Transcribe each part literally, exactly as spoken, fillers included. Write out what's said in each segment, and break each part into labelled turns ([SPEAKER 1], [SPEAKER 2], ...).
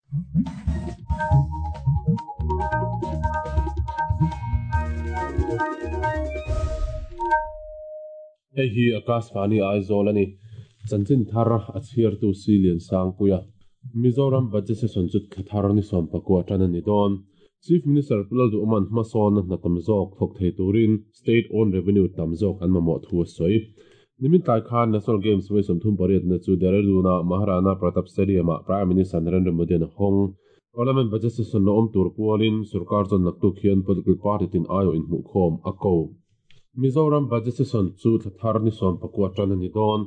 [SPEAKER 1] Hei hi Akashvani Aizawl a ni. Chanchin thar a chhiartu si lian sang puia. Mizoram budget session chu thla thar ni sawm pakua tan a ni dawn. Chief Minister Pu Lalduhawma'n hmasawn hna tam zawk thawk thei turin state own revenue tam zawk an mamawh thu a sawi. Nimin tlai khan National Games vawi sawmthum pariatna chu Dehradun-a Maharana Pratap Stadium-ah Prime Minister Narendra Modi-a'n a hawng. Parliament budget session la awm tur pualin sorkar chuan naktuk hian political party tin aiawh inhmuhkhawm a ko. Mizoram budget session chu thla thar ni sawm pakua tan a ni dawn.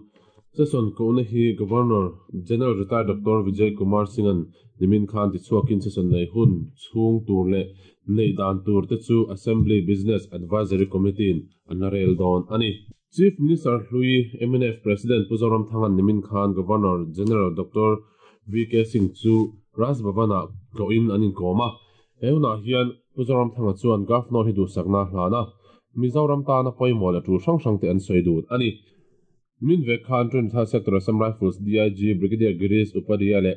[SPEAKER 1] Session kohna hi Governor General Retired Doctor Vijay Kumar Singh-a'n nimin khan tichhuakin session nei hun chhung tur leh neih dan tur te chu Assembly Business Advisory Committee-in an la rel dawn a ni. Chief Minister Hlui M N F President Pu Zoramthanga'n nimin khan Governor General Doctor V K Singh chu Raj Bhavan-ah tlawhin an inkawm a. He hunah hian Pu Zoramthanga chuan Governor hi duhsakna a hlan a, Mizoram tana pawimawh leh tul hrang hrang te an sawi dun a ni. Min vek khan Trinidad Sector Assam Rifles D I G Brigadier Girish Upadhyay leh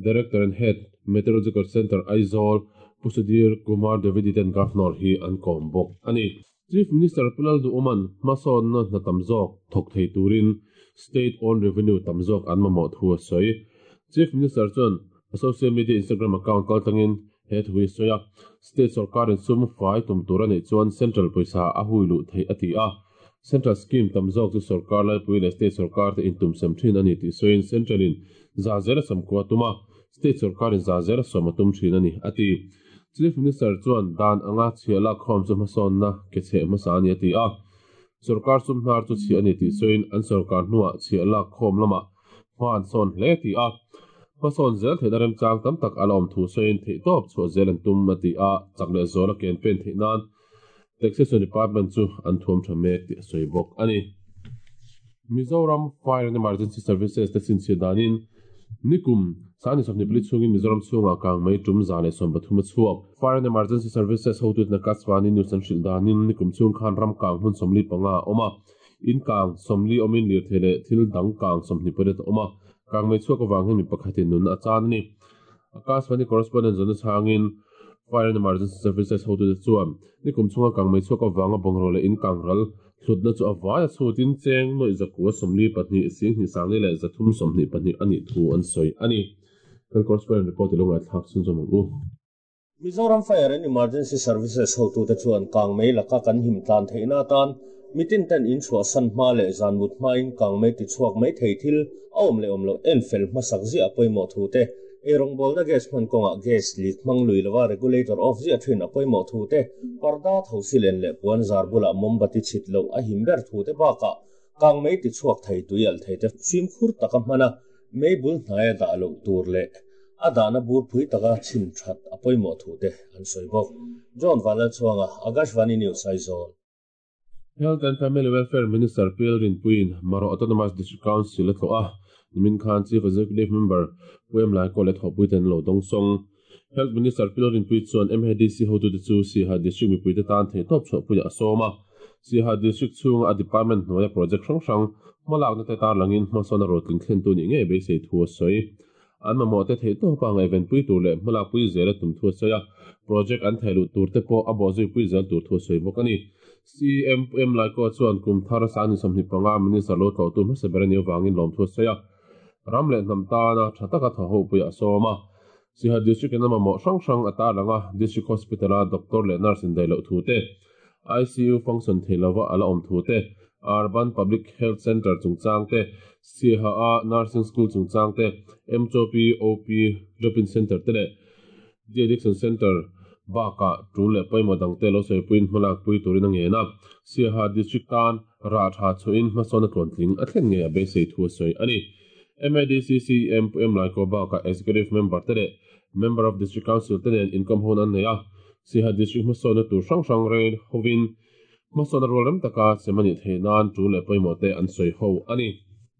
[SPEAKER 1] Director and Head, Meteorological Centre Aizawl Pu Sudhir Kumar Dwivedi ten Governor hi an kawm bawk a ni. Chief Minister Pu Lalduhawma'n hmasawnna hna tam zawk thawk thei turin state owned revenue tam zawk an mamawh thu a sawi. Chief Minister chuan a social media Instagram account kaltlangin he thu hi a sawi a, state sorkarin sum fai tum tur a neih chuan central pawisa a hui luh theih a ti a. Central scheme tam zawk chu sorkar laipui leh state sorkar te intum sem thin a ni tih sawiin central-in za zel a sawmkua tum a, state sorkarin za zel a sawm a tum thin a ni a ti. Chief Minister chuan dan anga chhiah lak khawm chu hmasawnna ke chheh hmasa a ni a ti a. Sorkar sum hnar chu chhiah a ni tih sawiin an sorkar hnuah chhiah lak khawm lamah hma an sawn hle ti a. Hmasawn zel theihna remchang tam tak a la awm thu sawiin theihtawp chhuah zel an tum a ti a, chak leh zual a ken pen theih nan Taxation Department chu an thuam tha mek tih a sawi bawk a ni. Mizoram Fire and Emergency Services te chhinchhiah danin nikum sangni sawmhnih pali chhungin Mizoram chhungah kang mai tum za leh sawm pathum a chhuak. Fire and Emergency Services hotute Akashvani News an hrilh danin nikum chhung khan ram kang hmun sawmli panga a awm a, in kang sawmli awmin lirthei leh thil dang kang sawmhnih pariat a awm a, kang mai chhuak avang hian mi pakhatin nun a chan a ni. Akashvani correspondent zawhna chhangin Fire and Emergency Services hotute chuan nikum chhunga kang mai chhuak avanga bungraw leh in kang ral hlutna chu a vai a chhutin cheng nawih zakua sawmli pahnih singhnih sangli leh zathum sawmhnih pahnih a nih thu an sawi a ni. Kan correspondent report i lo ngaihthlak chhunzawm ang u.
[SPEAKER 2] Mizoram Fire and Emergency Services hotute chuan kang mei laka kan him tlan theihna atan mitin ten in chhuah san hma leh zan mut hmain kang mei ti chhuak mai thei thil a awm leh awm loh en fel hmasak ziah a pawimawh thu te, eirawngbawlna gas hman kawngah gas leak hmang lui lova regulator off ziah thin a pawimawh thu te, parda tho silen leh puan zar bulah mombati chhit loh a him ber thu te bakah kang mei ti chhuak thei tui al thei te fimkhur taka hmana mei bul hnaia dah loh tur leh a dahna bur phui taka chhin that a pawimawh thu te an sawi bawk. John Vanlalchhuanga, Akashvani News, Aizawl.
[SPEAKER 1] Health and Family Welfare Minister Pi Lalrinpuiin Maro Autonomous District Council a tlawh a, nimin khan Chief Executive Member Pu Em Laikaw leh thawhpui ten an lo dawngsawng. Health Minister Pi Lalrinpuii chuan M A D C hotute chu Siaha District mipuite tan theihtawp chhuahpuiah a sawm a. Siaha District chhunga a department hnuaia project hrang hrang hmalakna te tarlangin hmasawn a rotling thlentu nih ngei beisei thu a sawi. An mamawh te theihtawpa ngaihvenpui tur leh hmalakpui zel a tum thu a sawi a, project an thei luh tur te pawh a bawhzui pui zel tur thu a sawi bawk a ni. C M Pu Em Laikaw chuan kum thar sangni sawmhnih panga Minister lo tlawhtu hmasa ber a nih avangin lawm thu a sawi a, ram leh hnam tana tha taka thaw ho puiah a sawm a. Siaha District in a mamawh hrang hrang a tarlang a, District Hospital-a doctor leh nurse indaih loh thu te, I C U function thei lova a la awm thu te, Urban Public Health Centre chungchang te, Siaha-a Nursing School chungchang te, M C O P O P Drop-in Centre te leh De-addiction Centre bakah tul leh pawimawh dangte lo sawipuiin hmalakpui turin a ngen a. Siaha District tan rah tha chhuahin hmasawn a tluantling a thlen ngei a beisei thu a sawi a ni. M A D C C M Pu Em Laikaw bakah Executive Member te leh Member of District Council te nen inkawm hun an nei a. Siaha District hmasawnna tur hrang hrang rel hovin hmasawn a rual rem taka sem a nih theih nan tul leh pawimawh te an sawi ho a ni.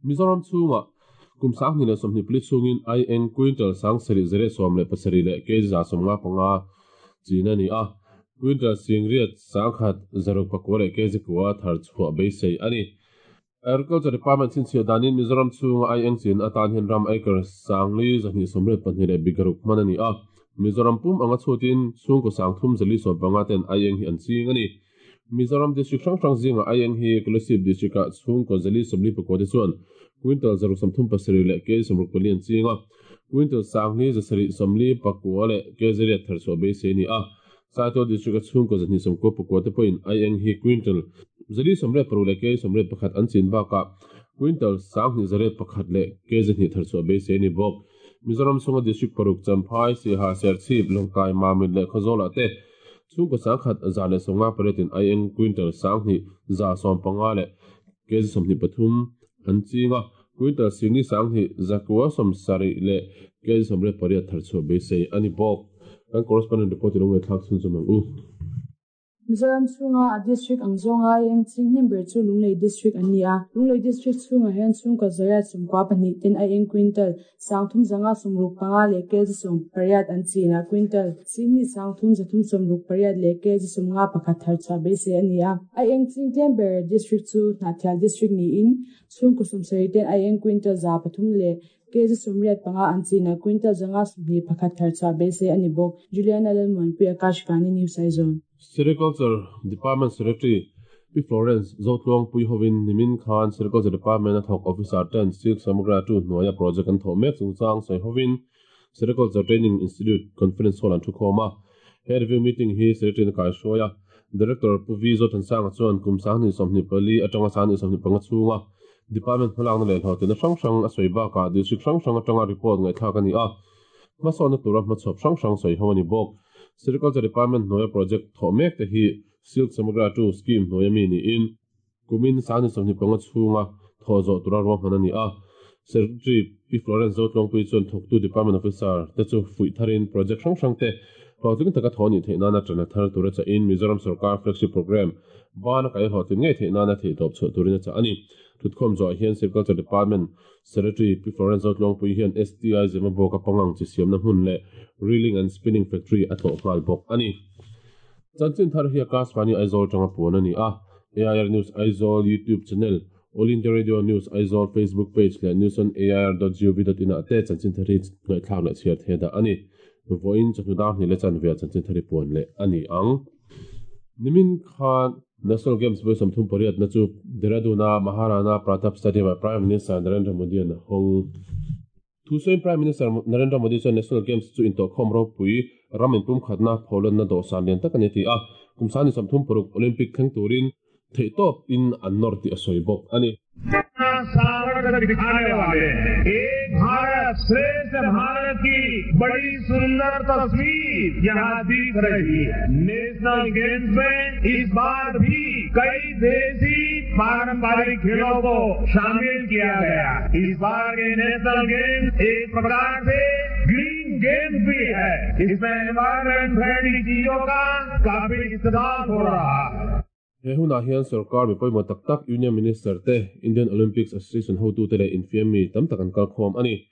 [SPEAKER 1] Mizoram chhungah kum sanghnih leh sawmhnih pali chhungin ai eng quintal sang sarih zariat sawm leh pasarih leh kg za sawmnga panga chin a ni a, quintal singriat sangkhat zaruk pakua leh kg kua thar chhuah beisei a ni. Agriculture Department chin chhia danin Mizoram chhunga aieng chin atan hian ram acre sangli zahnih sawmriat pahnih leh bigaruk hman ani a. Mizoram pum anga chhutin chhungkaw sangthum zali sawm panga ten aieng hi an ching ani. Mizoram district hrang hrang zinga aieng hi Kolasib district ah chhungkaw zali sawmli pakua te chuan quintal zaruk sawmthum pasarih leh kg sawmruk pali an ching a. Quintal sangli zasarih sawmli pakua leh kg riat thar chhuah beisei ani a. Saitual district a chhungkaw zahnih sawmkua pakua te pawhin aieng hi quintal zali sawmriat paruk leh kg sawmriat pakhat an chin bakah quintal sanghnih zariat pakhat leh kg hnih thar chhuah beisei ani bawk. Mizoram chhunga district paruk Champhai, Siaha, Serchhip, Lawngtlai, Mamit leh Khawzawlah te chhungkaw sangkhat za leh sawmnga pariatin aieng quintal sanghnih za sawm panga leh kg sawmhnih pathum an ching a. Quintal singli sanghnih zakua sawm sarih leh kg sawmriat pariat thar chhuah beisei ani bawk. Kan correspondent report in lung thlak chhun chu mang u.
[SPEAKER 3] Mizoram chhunga a district ang zawnga aieng ching hnem ber chu Lunglei district an ni a. Lunglei district chhunga hian chhungkaw zariat sawmkua pahnih ten aieng quintal sangthum zanga sawmruk panga leh kg sawm pariat an chin a. Quintal singli sangthum zathum sawmruk pariat leh kg sawmnga pakhat thar chhuah beisei ani a. Aieng ching tlem ber district chu Hnahthial district niin chhungkaw sawmsarih ten aieng quintal za pathum leh kg sawmriat panga an chin a. Quintal zanga sawmhnih pakhat thar chhuah beisei ani bawk. Juliana Lalmuanpui, Akashvani News Aizawl.
[SPEAKER 1] Sericulture Department Secretary Pi Florence Zotluang Pui hovin nimin khan Sericulture Department a thawk officer ten Silk Samagra two hnuaia project an thawh mek chungchang sawi hovin Sericulture Training Institute Conference Hall an thu khawm a. He review meeting hi Secretary na kaihruai a. Director Pu V Zothansanga chuan kum sanghnih sawmhnih pali atanga sanghnih sawmhnih panga chhunga Department hmalakna leh hlawhtlina hrang hrang a sawi bakah district hrang hrang atanga report ngaihthlak ani a. Hmasawnna tura hmachhawp hrang hrang sawi ho ani bawk. Sericulture Department hnuaia project thawh mek te hi Silk Samagra two scheme hnuaia mi niin kumin sanghnih sawmhnih panga chhunga thawh zawh tura ruahman ani a. Secretary Pi Florence Zotluangpui chuan thawktu Department Officer te chu fuih tharin project hrang hrang te hlawhtling taka thawh anih theih nana ṭan a thar tura chahin Mizoram Sarkar flagship program bana kai hlawhtling ngei theih nana theihtawp chhuah turin a chah ani. Thutkhawm zawh hian Sericulture Department Secretary Pi Florence Zotluangpui hian S T I Zemabawk a pangang chi siamna hmun leh Reeling and Spinning Factory a tlawh nghal bawk ani. Chanchin thar hi Akashvani Aizawl tanga puan ani a. A I R News Aizawl YouTube channel, All India Radio News Aizawl Facebook page leh news on A I R dot gov dot in ah te chanchin thar hi ngaihthlak leh chhiar the dah ani. Vawiin chawhnu dar hnih leh chanve ah chanchin thar hi puan leh ani ang. Nimin khan National Games vawi sawmthum pariat na chu Dehradun a Maharana Pratap Stadium ah Prime Minister Narendra Modi an hawng. Thusawiin Prime Minister Narendra Modi chuan National Games chu intawhkhawm ropui ram inpum khatna pholanna dawhsan lian tak ani ti a. Kum sanghnih sawmthum paruk Olympic thleng turin theihtawp in an nawr tih a sawi bawk ani.
[SPEAKER 4] सामर्थ्य दिखाने वाले एक भारत श्रेष्ठ भारत की बड़ी सुंदर तस्वीर यहाँ दिख रही है। नेशनल गेम्स में इस बार भी कई देसी पारंपरिक खेलों को शामिल किया गया। इस बार के नेशनल गेम्स एक प्रकार से ग्रीन गेम्स भी है। इसमें एनवायरमेंट फ्रेंडली चीजों का काफी इस्तेमाल हो रहा है।
[SPEAKER 1] He hunah hian sarkar mi pawimawh tak tak Union Minister te Indian Olympics Association hotu te leh infiam mi tam tak an kal khawm ani.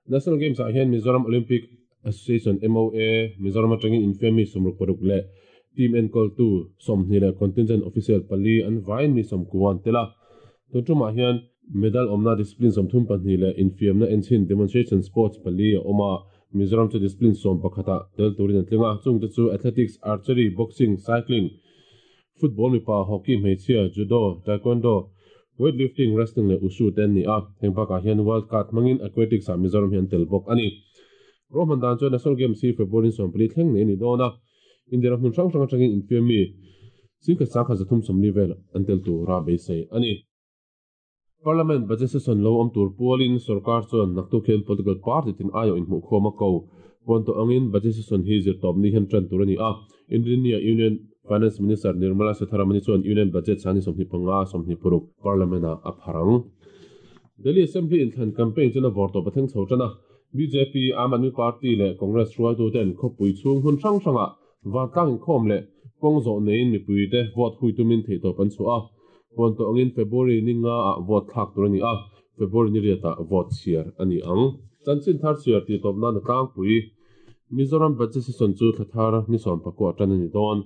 [SPEAKER 1] National Games ah hian Mizoram Olympic Association M O A Mizoram atangin infiam mi sawmruk paruk leh team enkawl tu sawmhnih leh contingent official pali an vain mi sawmkuan tel a. Tun tumah hian medal awmna discipline sawmthum pahnih leh infiamna enchin demonstration sports pali a awm a. Mizoram chu discipline sawm pakhatah tel turin an tling a. Chungte chu athletics, archery, boxing, cycling, football mipa, hockey hmeichhia, judo, taekwondo, weightlifting, wrestling leh wushu te an ni a. Heng bakah hian world cup hmangin aquatics ah Mizoram hian tel bawk ani. Rohman dan chuan National Games hi February sawmpali thleng nei ani dawn a. India ram hmun hrang hrang atangin infiam mi singkhat sangkhat zathum sawmli vel an tel tura beisei ani. Parliament budget session lo awm tur pualin sarkar chuan naktuk hian political party tin aio inhmuh khawm a ko. Puan tawh angin budget session hi zirtawp ni hian tan tur ani a. India Union Finance Minister Nirmala Sitharaman chuan Union budget sanghnih sawmhnih panga sawmhnih paruk Parliament ah a pharang. Delhi Assembly inthlan campaign chuan a vawrtawp a thleng chho tan a. B J P, Aam Aadmi Party leh Congress hruaitu ten khawpui chhung hun hrang hrangah vantlang inkhawm leh kawng zawh neiin mipui te vote hui tumin theihtawp an chhuah a. Puan tawh angin February ni nga ah vote thlak tur ani a. February ni riatah vote chhiar ani ang. Chanchin thar chhiar tih tawp nan a tlangpui. Mizoram budget session chu thla thar ni sawm pakua tan ani dawn.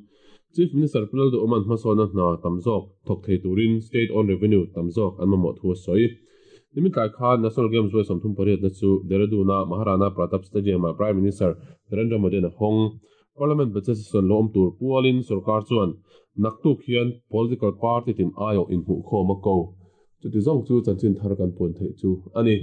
[SPEAKER 1] Chief Minister Pu Lalduhoma'n hmasawnna hna tam zawk thawk thei turin state own revenue tam zawk an mamawh thu a sawi. Nimin tlai khan National Games vawi sawmthum pariatna chu Dehradun-a Maharana Pratap Stadium-ah Prime Minister Narendra Modi-a'n a hawng. Parliament budget session lo awm tur pualin sorkar chuan naktuk hian political party tin aiawh inhmuhkhawm a ko. Chuti zawng chu chanchin thar kan puan theih chu a ni.